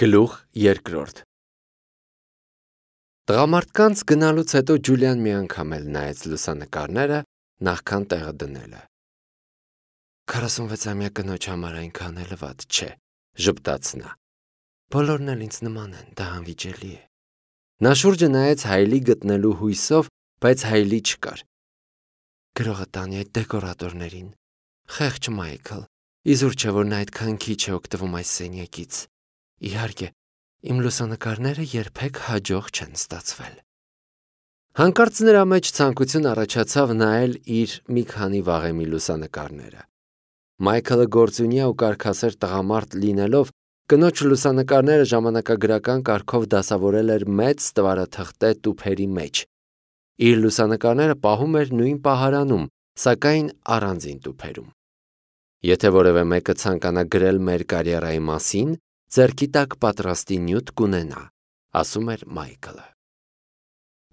Գլուխ երկրորդ Տղամարդկանց գնալուց հետո Ջուլիան մի անգամ էլ նայեց լուսանկարները նախքան տեղը դնելը։ 46-ամյա կնոջ համար այնքան էլ վատ չէ, ժպտաց նա։ Բոլորն էլ ինձ նման են, դա անվիճելի է։ Նա շուրջը նայեց Հայլի գտնելու հույսով, բայց Հայլի չկար։ Գրողը տանի այդ դեկորատորներին։ Խեղճ Մայքլ, իզուր չէ, որ նա այդքան քիչ է օգտվում այս սենյակից։ Իհարկե, իմ լուսանկարները երբեք հաջող չեն ստացվել։ Հանկարծ նրա մեջ ցանկություն առաջացավ նայել իր մի քանի վաղեմի լուսանկարները։ Մայքլը գործունյա ու կարգասեր տղամարդ լինելով, կնոջ լուսանկարները ժամանակագրական կարգով դասավորել էր մեծ ստվարաթղթե տուփերի մեջ։ Իր լուսանկարները պահում էր նույն պահարանում, սակայն առանձին տուփերում։ Եթե որևէ մեկը ցանկանա գրել մեր կարիերայի մասին, ձեռքի տակ պատրաստի նյութ կունենա, ասում էր Մայքլը։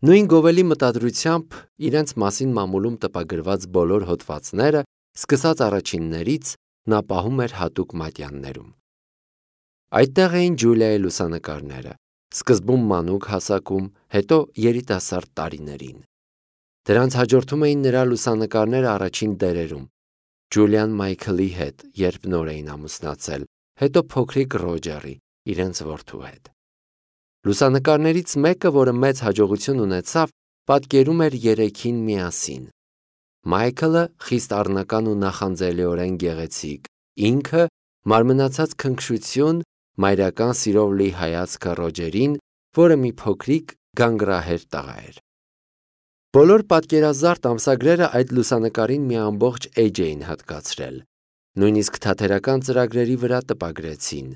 Նույն գովելի մտադրությամբ իրենց մասին մամուլում տպագրված բոլոր հոդվածները, սկսած առաջիններից, նա պահում էր հատուկ մատյաններում։ Այդտեղ էին Ջուլիայի լուսանկարները, սկզբում մանուկ հասակում, հետո երիտասարդ տարիներին։ Դրանց հաջորդում էին նրա լուսանկարները առաջին դերերում։ Ջուլիան Մայքլի հետ, երբ նոր էին ամուսնացել, հետո փոքրիկ Ռոջերի, իրենց որդու հետ։ Լուսանկարներից մեկը, որը մեծ հաջողություն ունեցավ, պատկերում էր երեքին միասին։ Մայքլը խիստ առնական ու նախանձելիորեն գեղեցիկ, ինքը մարմնացած քնքշություն, մայրական սիրով լի հայացքը Ռոջերին, որը մի փոքրիկ գանգրահեր տղա էր։ Բոլոր պատկերազարդ ամսագրերը այդ լուսանկարին մի ամբողջ էջ էին հատկացրել, նույնիսկ թատերական ծրագրերի վրա տպագրեցին։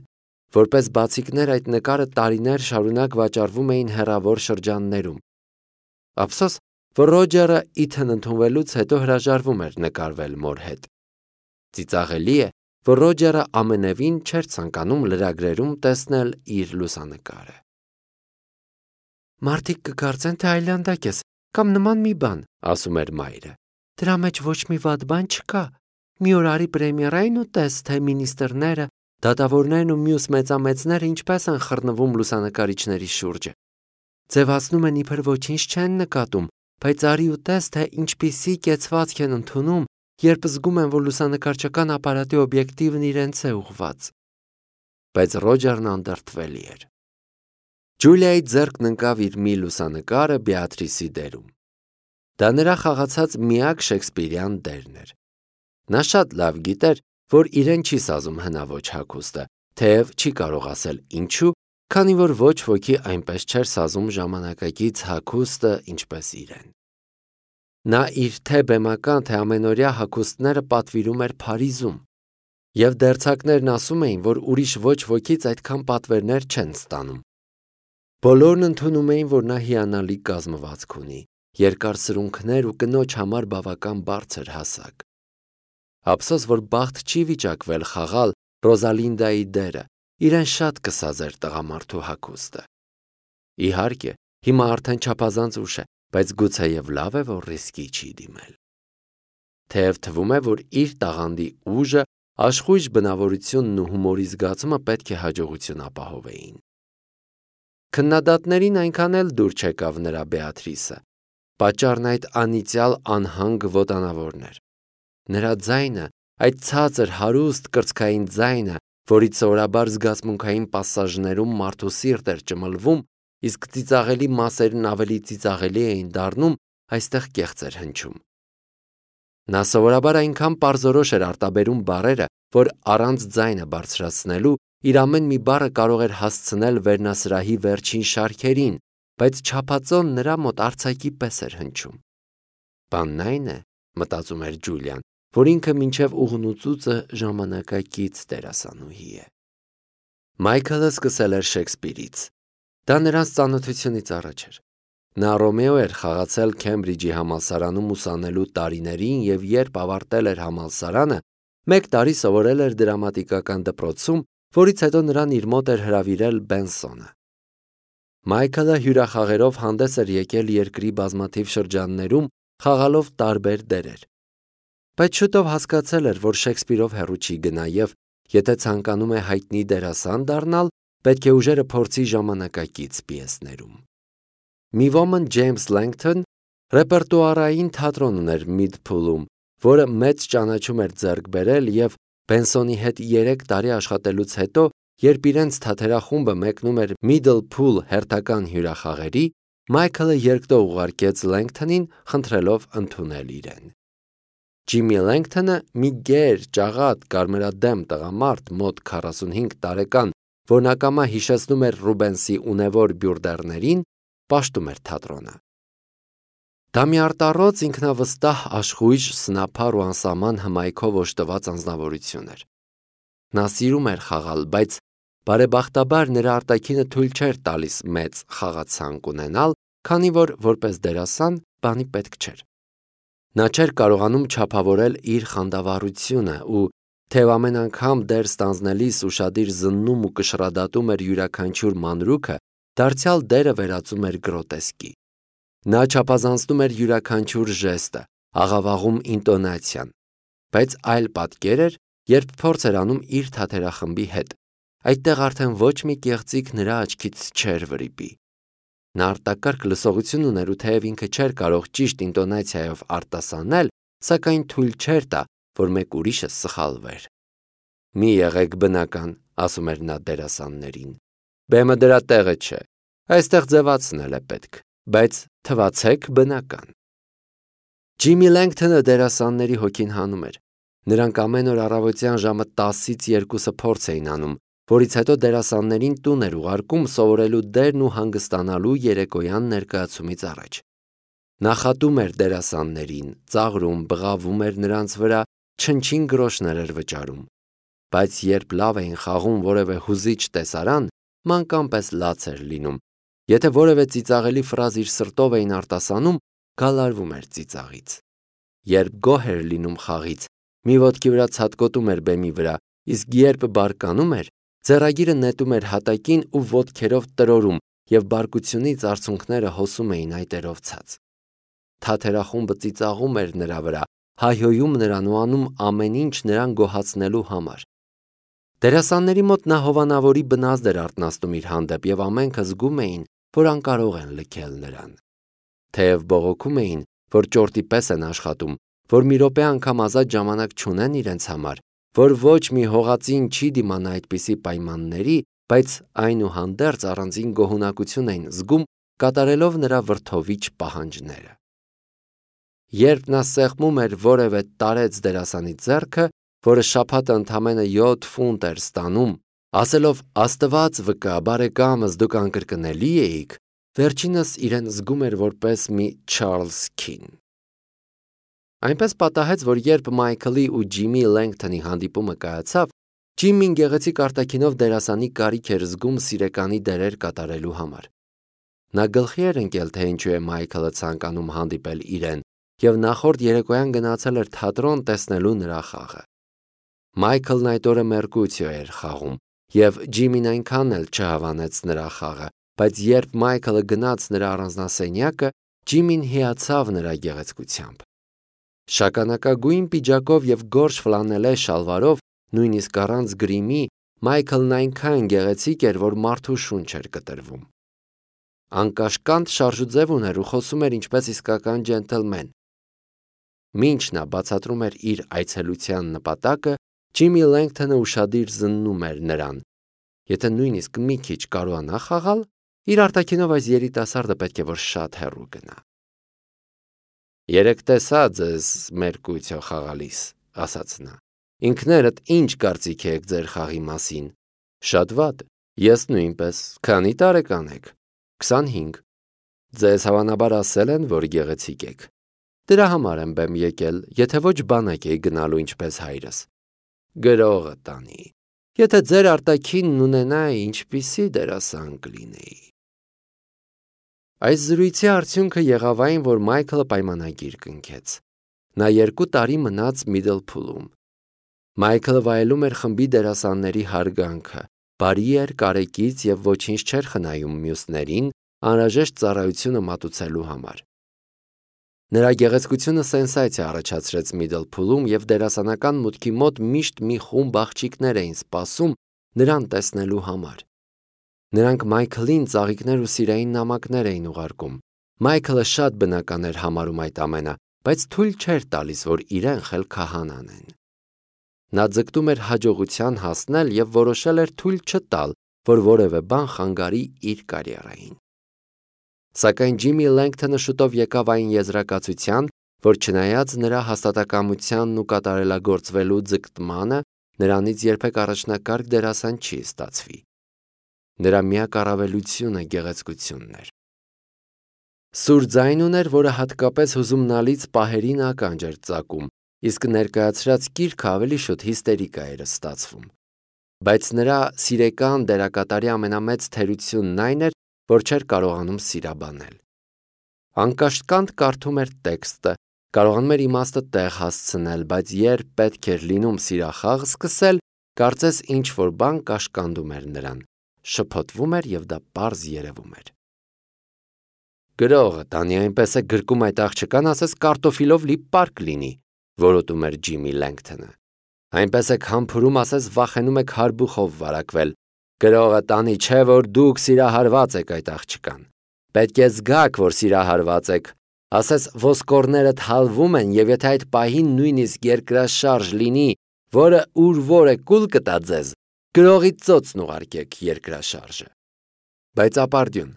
Որպես բացիկներ այդ նկարը տարիներ շարունակ վաճառվում էին հեռավոր շրջաններում։ Ափսոս, որ Ռոջերը Իթն ընդունվելուց հետո հրաժարվում էր նկարվել մոր հետ։ Ծիծաղելի է, որ Ռոջերը ամենևին չէր ցանկանում լրագրերում տեսնել իր լուսանկարը։ Մարդիկ կկարծեն, թե այլանդակ ես, կամ նման մի բան, ասում էր մայրը։ Դրա մեջ ոչ մի վատ բան չկա։ Մի օր արի պրեմիերային ու տես, թե մինիստրները, դատավորներն ու մյուս մեծամեծները ինչպես են խռնվում լուսանկարիչների շուրջը։ Ձևացնում են իբր ոչինչ չեն նկատում, բայց արի ու տես, թե ինչպիսի կեցվածք են ընդունում, երբ զգում են, որ լուսանկարչական ապարատի օբյեկտիվն իրենց է ուղված։ Բայց Ռոջերն անդրդվելի էր։ Ջուլիայի ձեռքն ընկավ իր մի լուսանկարը Բեատրիսի դերում։ Դա նրա խաղացած միակ շեքսպիրյան դերն էր։ Նա շատ լավ գիտեր, որ իրեն չի սազում հնաոճ հագուստը, թեև չի կարող ասել ինչու, քանի որ ոչ ոքի այնպես չէր սազում ժամանակակից հագուստը, ինչպես իրեն։ Նա իր թե բեմական, թե ամենօրյա հագուստները պատվիրում էր Փարիզում, եւ դերձակներն ասում էին, որ ուրիշ ոչ ոքից այդքան պատվերներ չեն ստանում։ Բոլորն ընդունում էին, որ նա հիանալի կազմվածք ունի, երկար սրունքներ ու կնոջ համար բավական բարձր հասակ։ Ափսոս, որ բախտ չի վիճակվել խաղալ Ռոզալինդայի դերը, իրեն շատ կսազեր տղամարդու հագուստը։ Իհարկե, հիմա արդեն չափազանց ուշ է, բայց գուցեև լավ է, որ ռիսկի չի դիմել։ Թեև թվում է, որ իր տաղանդի ուժը, աշխույժ բնավորությունն ու հումորի զգացումը պետք է հաջողություն ապահովեին։ Քննադատներին այնքան էլ դուր չեկավ նրա Բեատրիսը, պատճառն այդ անիծյալ անհանգ ոտանավորն էր։ Նրա ձայնը, այդ ցածր, հարուստ կրծքային ձայնը, որից սովորաբար զգացմունքային պասաժներում մարդու սիրտ էր ճմլվում, իսկ ծիծաղելի մասերն ավելի ծիծաղելի էին դառնում, այստեղ կեղծ էր հնչում։ Նա սովորաբար այնքան պարզորոշ էր արտաբերում բառերը, որ առանց ձայնը բարձրացնելու իր ամեն մի բառը կարող էր հասցնել վերնասրահի վերջին շարքերին, բայց չափածոն նրա մոտ արձակի պես էր հնչում։ Բանն այն է, մտածում էր Ջուլիան, որ ինքը մինչև ուղնուծուծը ժամանակակից դերասանուհի է։ Մայքլը սկսել էր Շեքսպիրից։ Դա նրանց ծանոթությունից առաջ էր։ Նա Ռոմեո էր խաղացել Քեմբրիջի համալսարանում ուսանելու տարիներին և երբ ավարտել էր համալսարանը, 1 տարի սովորել էր դրամատիկական դպրոցում, որից հետո նրան իր մոտ էր հրավիրել Բենսոնը։ Մայքլը հյուրախաղերով հանդես էր եկել երկրի բազմաթիվ շրջաններում, խաղալով տարբեր դերեր։ Բայց շուտով հասկացել էր, որ Շեքսպիրով հեռու չի գնա և, եթե ցանկանում է հայտնի դերասան դառնալ, պետք է ուժերը փորձի ժամանակակից պիեսներում։ Մի ոմն Ջեյմս Լենգթոն ռեպերտուարային թատրոն ուներ Միդփուլում, որը մեծ ճանաչում էր ձեռք բերել և Բենսոնի հետ 3 տարի աշխատելուց հետո, երբ իրենց թատերախումբը մեկնում էր Միդլփուլ հերթական հյուրախաղերի, Մայքլը երկտող ուղարկեց Լենգթոնին, խնդրելով ընդունել իրեն։ Ջիմի Լենգթոնը մի գեր, ճաղատ, կարմրադեմ տղամարդ, մոտ 45 տարեկան, որն ակամա հիշեցնում էր Ռուբենսի ունևոր բյուրդերներին, պաշտում էր թատրոնը։ Դա մի արտառոց ինքնավստահ, աշխույժ, սնափառ ու անսահման հմայքով օժտված անձնավորություն էր։ Նա սիրում էր խաղալ, բայց բարեբախտաբար նրա արտաքինը թույլ չէր տալիս մեծ խաղացանկ ունենալ, քանի որ որպես դերասան բանի պետք չէր։ Նա չէր կարողանում չափավորել իր խանդավառությունը ու թեև ամեն անգամ դեր ստանձնելիս ուշադիր զննում ու կշռադատում էր յուրաքանչյուր մանրուքը, դարձյալ դերը վերածում էր գրոտեսկի։ Նա չափազանցնում էր յուրաքանչյուր ժեստը, աղավաղում ինտոնացիան, բայց այլ պատկեր էր, երբ փորձ էր անում իր թատերախմբի հետ։ Այդտեղ արդեն ոչ մի կեղծիք նրա աչքից չէր վրիպի։ Նա արտակարգ լսողություն ուներ ու թեև ինքը չէր կարող ճիշտ ինտոնացիայով արտասանել, սակայն թույլ չէր տա, որ մեկ ուրիշը սխալվեր։ «Մի եղեք բնական», ասում էր նա դերասաններին։ «Բեմը դրա տեղը չէ, այստեղ ձևացնել է պետք, բայց թվացեք բնական»։ Ջիմի Լենգթոնը դերասանների հոգին հանում էր։ Նրանք ամեն օր առավոտյան ժամը 10-ից 2-ը փորձ էին անում, որից հետո դերասաններին տուն էր ուղարկում սովորելու դերն ու հանգստանալու երեկոյան ներկայացումից առաջ։ Նախատում էր դերասաններին, ծաղրում, բղավում էր նրանց վրա, չնչին գրոշներ էր վճարում։ Բայց երբ լավ էին խաղում որևէ հուզիչ տեսարան, մանկան պես լաց էր լինում։ Եթե որևէ ծիծաղելի ֆրազ իր սրտով էին արտասանում, գալարվում էր ծիծաղից։ Երբ գոհ էր լինում խաղից, մի ոտքի վրա ցատկոտում էր բեմի վրա, իսկ երբ բարկանում էր, ձեռագիրը նետում էր հատակին ու ոտքերով տրորում, և բարկությունից արցունքները հոսում էին այտերով ցած։ Թատերախումբը ծիծաղում էր նրա վրա, հայհոյում նրան ու անում ամեն ինչ նրան գոհացնելու համար։ Դերասանների մոտ նա հովանավորի բնազդ էր արթնացնում իր հանդեպ, և ամենքը զգում էին, որ անկարող են լքել նրան։ Թեև բողոքում էին, որ ճորտի պես են աշխատում, որ մի րոպե անգամ ազատ ժամանակ չունեն իրենց համար, որ ոչ մի հողածին չի դիմանա այդպիսի պայմանների, բայց այնուհանդերձ առանձին գոհունակություն էին զգում կատարելով նրա վրդովիչ պահանջները։ Երբ նա սեղմում էր որևէ տարեց դերասանի ձեռքը, որը շաբաթը ընդամենը 7 ֆունտ էր ստանում, ասելով «Աստված վկա, բարեկամս, դուք անկրկնելի էիք», վերջինս իրեն զգում էր որպես մի Չարլզ Քին։ Այնպես պատահեց, որ երբ Մայքլի ու Ջիմի Լենգթոնի հանդիպումը կայացավ, Ջիմին գեղեցիկ արտաքինով դերասանի կարիք էր զգում սիրեկանի դերեր կատարելու համար։ Նա գլխի էր ընկել, թե ինչու է Մայքլը ցանկանում հանդիպել իրեն, և նախորդ երեկոյան գնացել էր թատրոն տեսնելու նրա խաղը։ Մայքլն այդ օրը Մերկուցիո էր խաղում, և Ջիմին այնքան էլ չհավանեց նրա խաղը, բայց երբ Մայքլը գնաց նրա առանձնասենյակը, Ջիմին հիացավ նրա գեղեցկությամբ։ Շագանակագույն պիջակով և գորշ ֆլանելե շալվարով, նույնիսկ առանց գրիմի, Մայքլն այնքան գեղեցիկ էր, որ մարդու շունչ էր կտրվում։ Անկաշկանդ շարժուձև ուներ ու խոսում էր ինչպես իսկական ջենտլմեն։ Մինչ նա բացատրում էր իր այցելության նպատակը, Ջիմի Լենգթոնը ուշադիր զննում էր նրան։ Եթե նույնիսկ մի քիչ կարողանա խաղալ, իր արտաքինով այս երիտասարդը պետք է որ շատ հեռու գնա։ «Երեկ տեսա ձեզ Մերկուցիո խաղալիս», ասաց նա։ «Ինքներդ ինչ կարծիք եք ձեր խաղի մասին»։ «Շատ վատ, ես նույնպես։ Քանի տարեկան եք»։ 25։ «Ձեզ հավանաբար ասել են, որ գեղեցիկ եք»։ «Դրա համար եմ բեմ եկել, եթե ոչ բանակ էի գնալու ինչպես հայրս»։ «Գրողը տանի։ Եթե ձեր արտաքինն ունենայի, ինչպիսի դերասան կլինեի»։ Այս զրույցի արդյունքը եղավ այն, որ Մայքլը պայմանագիր կնքեց։ Նա 2 տարի մնաց Միդլփուլում։ Մայքլը վայելում էր խմբի դերասանների հարգանքը, բարի էր, կարեկից և ոչինչ չէր խնայում մյուսներին, անհրաժեշտ ծառայությունը մատուցելու համար։ Նրա գեղեցկությունը սենսացիա առաջացրեց Միդլփուլում, և դերասանական մուտքի մոտ միշտ մի խումբ աղջիկներ էին սպասում նրան տեսնելու համար։ Նրանք Մայքլին ծաղիկներ ու սիրային նամակներ էին ուղարկում։ Մայքլը շատ բնական էր համարում այդ ամենը, բայց թույլ չէր տալիս, որ իրեն խել քահանանեն։ Նա ձգտում էր հաջողության հասնել և որոշել էր թույլ չտալ, որ որևէ բան խանգարի իր կարիերային։ Սակայն Ջիմի Լենգթոնը շուտով եկավ այն եզրակացության, որ չնայած նրա հաստատակամությանն ու կատարելագործվելու ձգտմանը, նրանից երբեք առաջնակարգ դերասան չի ստացվի։ Նրա միակ առավելությունը գեղեցկությունն էր։ Սուր ձայն ուներ, որը հատկապես հուզումնալից պահերին ականջ էր ծակում, իսկ ներկայացրած գիրքը ավելի շուտ հիստերիկա էր ստացվում։ Բայց նրա սիրեկան դերակատարի ամենամեծ թերությունն այն էր, որ չէր կարողանում սիրաբանել։ Անկաշկանդ կարդում էր տեքստը, կարողանում էր իմաստը տեղ հասցնել, բայց երբ պետք էր լինում սիրախաղ սկսել, կարծես ինչ-որ բան կաշկանդում էր նրան, շփոթվում էր և դա պարզ երևում էր։ Գրողը տանի այնպես է գրկում այդ աղջկան, ասես կարտոֆիլով լի պարկ լինի, որոտում էր Ջիմի Լենգթոնը։ Այնպես եք համբուրում, ասես վախենում եք հարբուխով վարակվել։ Գրողը տանի չէ, որ դուք սիրահարված եք այդ աղջկան։ Պետք է զգաք, որ սիրահարված եք, ասես ոսկորներդ հալվում են, և եթե այդ պահին նույնիսկ երկրաշարժ լինի, որը ուր որ է կուլ կտա ձեզ, գրողի ծոցն ուղարկեք երկրաշարժը։ Բայց ապարդյուն։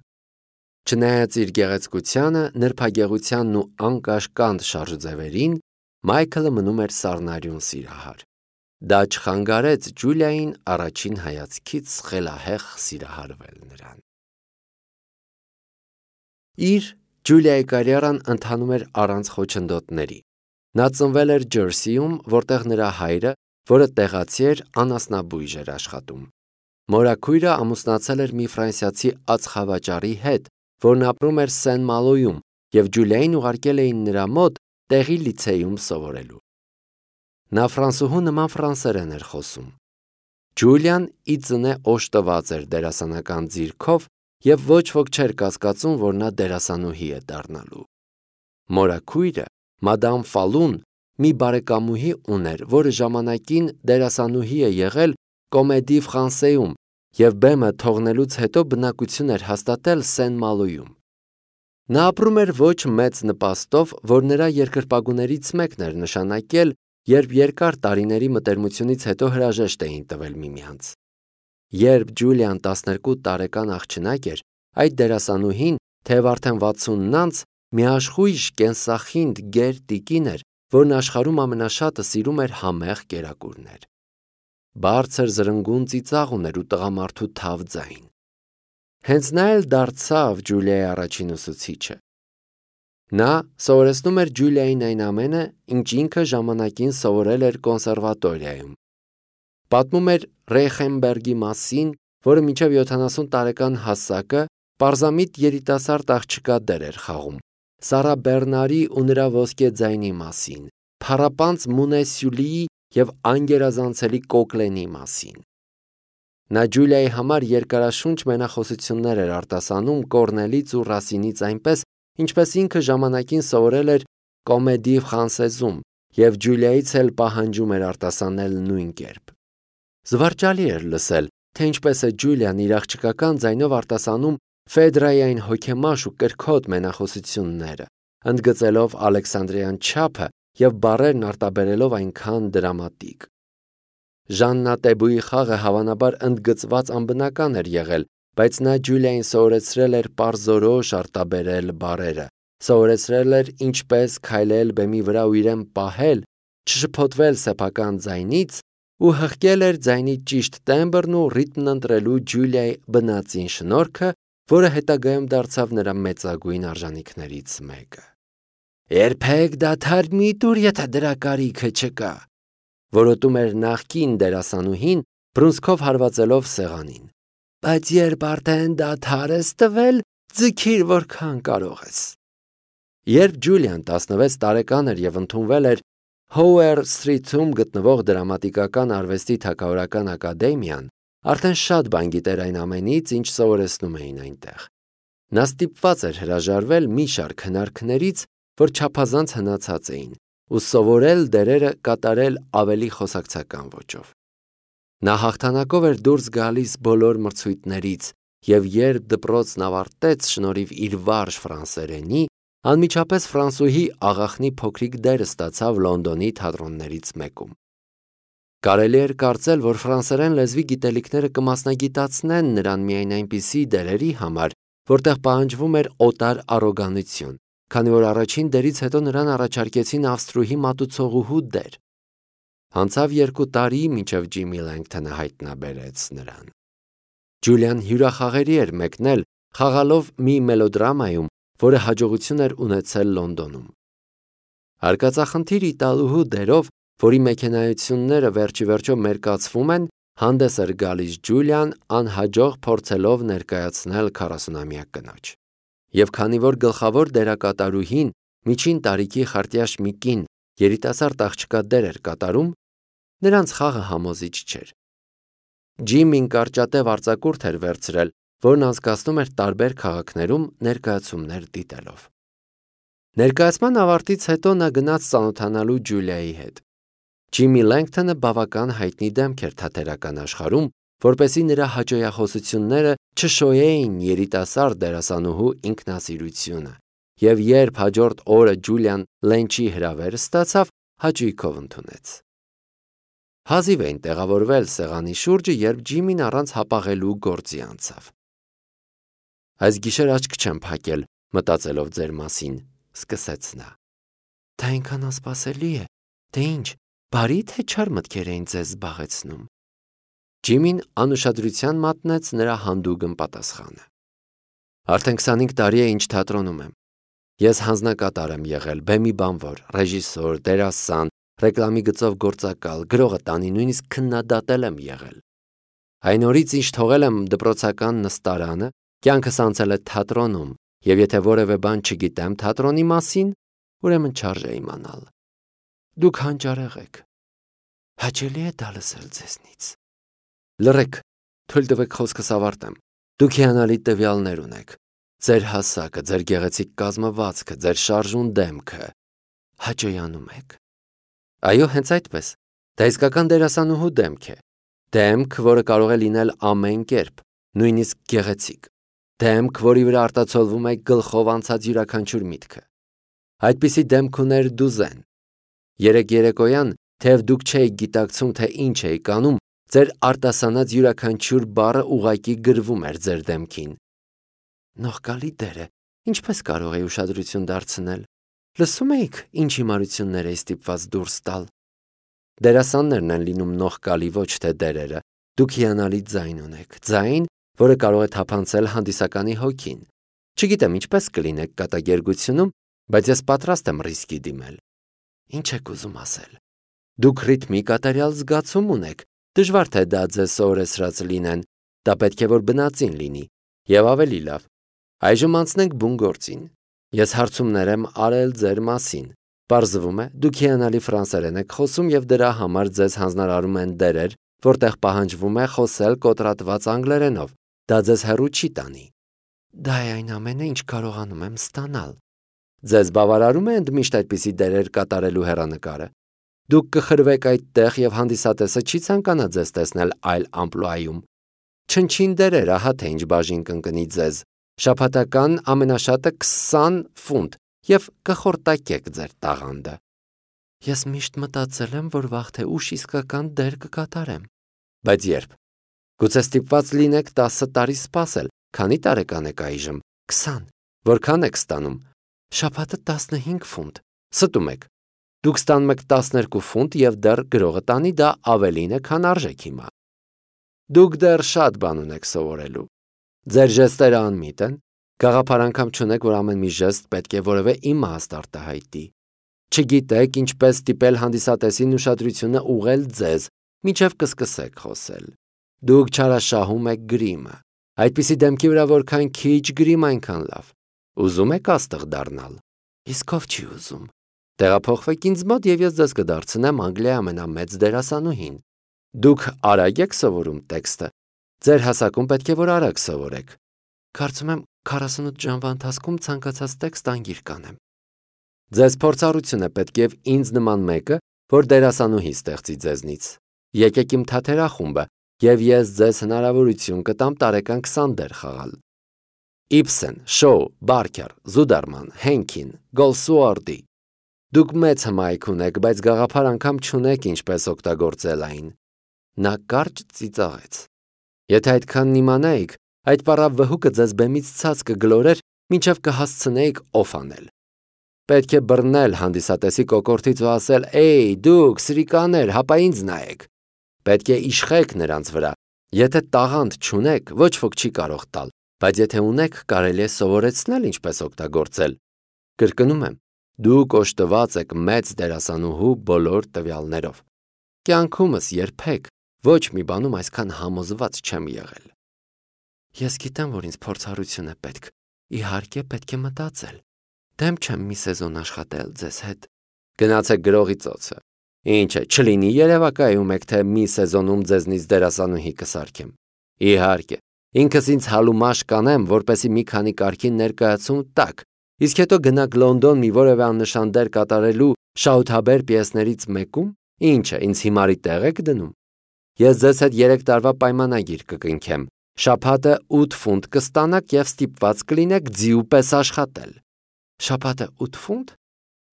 Չնայած իր գեղեցկությանը, նրբագեղությանն ու անկաշկանդ շարժուձևերին, Մայքլը մնում էր սառնարյուն սիրահար։ Դա չխանգարեց Ջուլիային առաջին հայացքից խելահեղ սիրահարվել նրան։ Իր Ջուլիայի կարիերան ընթանում էր առանց խոչընդոտների։ Նա ծնվել էր Ջերսիում, որտեղ նրա հայրը, որը տեղացի էր, անասնաբույժ էր աշխատում։ Մորաքույրը ամուսնացել էր մի ֆրանսիացի ածխավաճառի հետ, որն ապրում էր Սեն-Մալոյում, և Ջուլիային ուղարկել էին նրա մոտ տեղի լիցեյում սովորելու։ Նա ֆրանսուհու նման ֆրանսերեն էր խոսում։ Ջուլիան ի ծնե օժտված էր դերասանական ձիրքով և ոչ ոք չէր կասկածում, որ նա դերասանուհի է դառնալու։ Մորաքույրը, մադամ Ֆալուն, մի բարեկամուհի ուներ, որը ժամանակին դերասանուհի է եղել Կոմեդի Ֆրանսեում և բեմը թողնելուց հետո բնակություն էր հաստատել Սեն-Մալոյում։ Նա ապրում էր ոչ մեծ նպաստով, որ նրա երկրպագուներից մեկն էր նշանակել, երբ երկար տարիների մտերմությունից հետո հրաժեշտ էին տվել միմյանց։ Երբ Ջուլիան 12 տարեկան աղջնակ էր, այդ դերասանուհին, թեև արդեն 60-ն անց, միաշխույժ կենսախինդ գեր տիկին էր, որն աշխարհում ամենաշատը սիրում էր համեղ կերակուրներ։ Բարձր զրնգուն ծիծաղ ուներ ու տղամարդու թավ ձայն։ Հենց նա էլ դարձավ Ջուլիայի առաջին ուսուցիչը։ Նա սովորեցնում էր Ջուլիային այն ամենը, ինչ ինքը ժամանակին սովորել էր կոնսերվատորիայում։ Պատմում էր Ռեյխենբերգի մասին, որը մինչև 70 տարեկան հասակը պարզամիտ երիտասարդ աղջկա դեր էր խաղում, Սարա Բեռնարի ու նրա ոսկե ձայնի մասին, փառապանծ Մունե Սյուլիի և անգերազանցելի Կոկլենի մասին։ Նա Ջուլիայի համար երկարաշունչ մենախոսություններ էր արտասանում Կորնելից ու Ռասինից այնպես, ինչպես ինքը ժամանակին սովորել էր Կոմեդի Ֆրանսեզում և Ջուլիայից էլ պահանջում էր արտասանել նույն կերպ։ Զվարճալի էր լսել, թե ինչպես է Ջուլիան իր աղջկական ձայնով արտասանում Ֆեդրայի այն հոգեմաշ ու կրքոտ մենախոսությունները, ընդգծելով Ալեքսանդրյան չափը և բառերն արտաբերելով այնքան դրամատիկ։ Ժաննա Տեբուի խաղը հավանաբար ընդգծված անբնական էր եղել, բայց նա Ջուլիային սովորեցրել էր պարզորոշ արտաբերել բառերը, սովորեցրել էր ինչպես քայլել բեմի վրա ու իրեն պահել, չշփոթվել սեփական ձայնից ու հղկել էր ձայնի ճիշտ տեմբրն ու ռիթմն ընտրելու Ջուլիայի բնածին շնորհքը, որը հետագայում դարձավ նրա մեծագույն արժանիքներից մեկը։ Երբեք դադար մի տուր, եթե դրա կարիքը չկա, որոտում էր նախկին դերասանուհին, բռունցքով հարվածելով սեղանին։ Բայց երբ արդեն դադար ես տվել, ձգիր որքան կարող ես։ Երբ Ջուլիան 16 տարեկան էր և ընդունվել էր Հոուեր Սթրիթում գտնվող դրամատիկական արվեստի թագավորական ակադեմիան, արդեն շատ բան գիտեր այն ամենից, ինչ սովորեցնում էին այնտեղ։ Նա ստիպված էր հրաժարվել մի շարք հնարքներից, որ չափազանց հնացած էին, ու սովորել դերերը կատարել ավելի խոսակցական ոճով։ Նա հաղթանակով էր դուրս գալիս բոլոր մրցույթներից եւ երբ դպրոցն ավարտեց շնորհիվ իր վարժ ֆրանսերենի, անմիջապես ֆրանսուհի աղախնի փոքրիկ դեր ստացավ Լոնդոնի թատրոններից մեկում։ Կարելի էր կարծել, որ ֆրանսերեն լեզվի գիտելիքները կմասնագիտացնեն նրան միայն այնպիսի դերերի համար, որտեղ պահանջվում էր օտար առոգանություն, քանի որ առաջին դերից հետո նրան առաջարկեցին Ավստրուհի մատուցողուհու դեր։ Անցավ 2 տարի, մինչև Ջիմի Լենգթոնը հայտնաբերեց նրան։ Ջուլիան հյուրախաղերի էր մեկնել, խաղալով մի մելոդրամայում, որը հաջողություն էր ունեցել Լոնդոնում։ Արկածախնդիր իտալուհու դերով, որի մեքենայությունները վերջիվերջո մերկացվում են, հանդես էր գալիս Ջուլիան, անհաջող փորձելով ներկայացնել 40-ամյա կնոջ։ Եվ քանի որ գլխավոր դերակատարուհին միջին տարիքի խարտյաշ մի կին երիտասարդ աղջկա դեր էր կատարում, նրանց խաղը համոզիչ չէր։ Ջիմին կարճատև արձակուրդ էր վերցրել, որն անցկացնում էր տարբեր քաղաքներում ներկայացումներ դիտելով։ Ներկայացման ավարտից հետո նա գնաց ծանոթանալու Ջուլիայի հետ։ Ջիմի Լենգթոնը բավական հայտնի դեմք էր թատերական աշխարհում, որպեսզի նրա հաճոյախոսությունները չշոյեին երիտասարդ դերասանուհու ինքնասիրությունը, եւ երբ հաջորդ օրը Ջուլիան Լենչի հրավեր ստացավ, հաճույքով ընդունեց։ Հազիվ էին տեղավորվել սեղանի շուրջը, երբ Ջիմին առանց հապաղելու գործի անցավ։ Այս գիշեր աչք չեմ փակել, մտածելով ձեր մասին, սկսեց նա։ Դա այնքան անսպասելի է, թե ինչ, բարի թե չար մտքեր էին ձեզ զբաղեցնում։ Ջիմին անուշադրության մատնեց նրա հանդուգն պատասխանը։ Արդեն 25 տարի է ինչ թատրոնում եմ։ Ես հանձնակատար եմ եղել, բեմի բանվոր, ռեժիսոր, դերասան, ռեկլամի գծով գործակալ, գրողը տանի, նույնիսկ քննադատել եմ եղել։ Այն օրից ինչ թողել եմ դպրոցական նստարանը, կյանքս անցել է թատրոնում, եւ եթե որևէ բան չգիտեմ թատրոնի մասին, ուրեմն չարժե իմանալ։ Դուք հանճարեղ եք։ Հաճելի է դա լսել ձեզնից։ Լռեք, թույլ տվեք խոսքս ավարտեմ։ Դուք հիանալի տվյալներ ունեք։ Ձեր հասակը, ձեր գեղեցիկ կազմվածքը, ձեր շարժուն դեմքը։ Հաճոյանում եք։ Այո, հենց այդպես։ Դա իսկական դերասանուհու դեմք է։ Դեմք, որը կարող է լինել ամեն կերպ, նույնիսկ գեղեցիկ։ Դեմք, որի վրա արտացոլվում է գլխով անցած յուրաքանչյուր միտքը։ Այդպիսի դեմք ուներ դուզեն։ Երեկ երեկոյան, թեև դուք չէիք գիտակցում, թե ինչ էիք անում, ձեր արտասանած յուրաքանչյուր բառը ուղղակի գրվում էր ձեր դեմքին։ Նողկալի դերը, ինչպես կարող է ուշադրություն դարձնել։ Լսում էիք, ինչ հիմարություններ էի ստիպված դուրս տալ։ Դերասաններն են լինում նողկալի, ոչ թե դերերը։ Դուք հիանալի ձայն ունեք, ձայն, որը կարող է թափանցել հանդիսականի հոգին։ Չգիտեմ ինչպես կլինեք կատակերգությունում, բայց ես պատրաստ եմ ռիսկի դիմել։ Ինչ եք ուզում ասել։ Դուք ռիթմի կատարյալ զգացում ունեք, դժվար թե դա ձեզ սովորեցրած լինեն, դա պետք է որ բնածին լինի, եւ ավելի լավ։ Այժմ անցնենք բուն գործին։ Ես հարցումներ եմ արել ձեր մասին։ Պարզվում է, դուք հիանալի ֆրանսերեն եք խոսում եւ դրա համար ձեզ հանձնարարում են դերեր, որտեղ պահանջվում է խոսել կոտրատված անգլերենով։ Դա ձեզ հեռու չի տանի։ Դա է այն ամենը, ինչ կարողանում եմ ստանալ։ Ձեզ բավարարում է ընդմիշտ այդպիսի դերեր կատարելու հեռանկարը։ Դուք կխրվեք այդտեղ եւ հանդիսատեսը չի ցանկանա ձեզ տեսնել այլ ամպլուայում։ Չնչին դերեր, ահա թե ինչ բաժին կընկնի ձեզ։ Շաբաթական ամենաշատը 20 ֆունտ եւ կխորտակեք ձեր տաղանդը։ Ես միշտ մտածել եմ, որ վաղ թե ուշ իսկական դեր կկատարեմ։ Բայց երբ։ Գուցե ստիպված լինեք 10 տարի սպասել։ Քանի տարեկան եք այժմ։ 20։ Որքան եք ստանում։ Շաբաթը 15 ֆունտ։ Ստում եք։ Դուք ստանում եք 12 ֆունտ եւ դեռ գրողը տանի դա ավելին է, քան արժեք հիմա։ Դուք դեռ շատ բան ունեք սովորելու։ Ձեր ժեստերը անմիտ են։ Գաղափար անգամ չունեք, որ ամեն մի ժեստ պետք է որևէ իմաստ արտահայտի։ Չգիտեք ինչպես ստիպել հանդիսատեսին ուշադրությունը ուղղել ձեզ, մինչև կսկսեք խոսել։ Դուք չարաշահում եք գրիմը։ Այդպիսի դեմքի վրա որքան քիչ գրիմ, այնքան լավ։ Ուզում եք աստղ դառնալ։ Իսկ ով չի ուզում։ Տեղափոխվեք ինձ մոտ եւ ես ձեզ կդարձնեմ Անգլիայի ամենամեծ դերասանուհին։ Դուք արագ եք սովորում տեքստը։ Ձեր հասակում պետք է որ արագ սովորեք։ Կարծում եմ 48 ժամվա ընթացքում ցանկացած տեքստ անգիր կանեմ։ Ձեզ փորձառություն է պետք եւ ինձ նման մեկը, որ դերասանուհի ստեղծի ձեզնից։ Եկեք իմ թատերախումբը, եւ ես ձեզ հնարավորություն կտամ տարեկան 20 դեր խաղալ։ Իբսեն, Շոու, Բարքեր, Զուդերման, Հենքին, Գոլսուորդի։ Դուք մեծ հմայք ունեք, բայց գաղափար անգամ չունեք ինչպես օգտագործել այն։ Նա կարճ ծիծաղեց։ Եթե այդքանն իմանայիք, այդ պարավ վհուկը ձեզ բեմից ցած կգլորեր, մինչև կհասցնեիք օֆ անել։ Պետք է բռնել հանդիսատեսի կոկորդից ու ասել. «Էյ, դուք, սրիկաներ, հապա ինձ նայեք»։ Պետք է իշխեք նրանց վրա։ Եթե տաղանդ չունեք, ոչ ոք չի կարող տալ, բայց եթե ունեք, կարելի է սովորեցնել ինչպես օգտագործել։ Կրկնում եմ, դուք օժտված եք մեծ դերասանուհու բոլոր տվյալներով։ Կյանքումս երբեք ոչ մի բանում այսքան համոզված չեմ եղել։ Ես գիտեմ, որ ինձ փորձառություն է պետք։ Իհարկե պետք է մտածել։ Դեմ չեմ մի սեզոն աշխատել ձեզ հետ։ Գնացեք գրողի ծոցը։ Ինչ է, չլինի երևակայում եք, թե մի սեզոնում ձեզնից դերասանուհի կսարքեմ։ Իհարկե, ինքս ինձ հալումաշ կանեմ, որպեսի մի քանի կարգին ներկայացում տաք, իսկ հետո գնաք Լոնդոն մի որևէ աննշան դեր կատարելու շահութաբեր պիեսներից մեկում, ինչ է, ինձ հիմարի տեղ եք դնում։ Ես ձեզ հետ 3 տարվա պայմանագիր կկնքեմ։ Շաբաթը 8 ֆունտ կստանաք եւ ստիպված կլինեք ձիու պես աշխատել։ Շաբաթը 8 ֆունտ։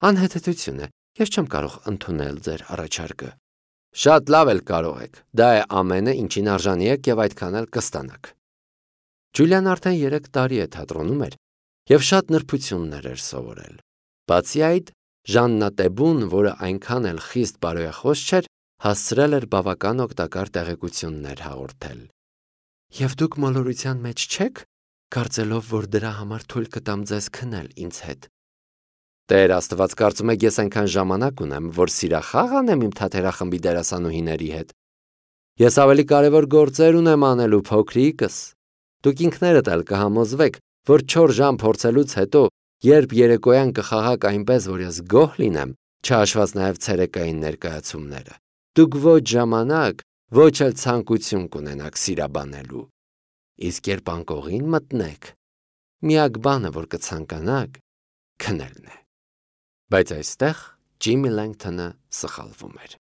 Անհեթեթություն է։ Ես չեմ կարող ընդունել ձեր առաջարկը։ Շատ լավ էլ կարող եք։ Դա է ամենը, ինչին արժանի եք եւ այդքան էլ կստանաք։ Ջուլիան արդեն 3 տարի է թատրոնում էր եւ շատ նրբություններ էր սովորել։ Բացի այդ, Ժաննա Տեբուն, որը այնքան էլ խիստ բարոյախոս չէր, հասցրել էր բավական օգտակար տեղեկություններ հաղորդել։ Եվ դուք մոլորության մեջ չեք, կարծելով, որ դրա համար թույլ կտամ ձեզ քնել ինձ հետ։ Տեր Աստված, կարծում եք ես այնքան ժամանակ ունեմ, որ սիրախաղ անեմ իմ թատերախմբի դերասանուհիների հետ։ Ես ավելի կարևոր գործեր ունեմ անելու, փոքրիկս։ Դուք ինքներդ էլ կհամոզվեք, որ 4 ժամ փորձելուց հետո, երբ երեկոյան կխաղաք այնպես, որ ես գոհ լինեմ, չհաշված նաև ցերեկային ներկայացումները, դուք ոչ ժամանակ, ոչ էլ ցանկություն կունենաք սիրաբանելու։ Իսկ երբ անկողին մտնեք, միակ բանը, որ կցանկանաք, քնելն է։ Բայց այստեղ Ջիմի Լենգթոնը սխալվում էր։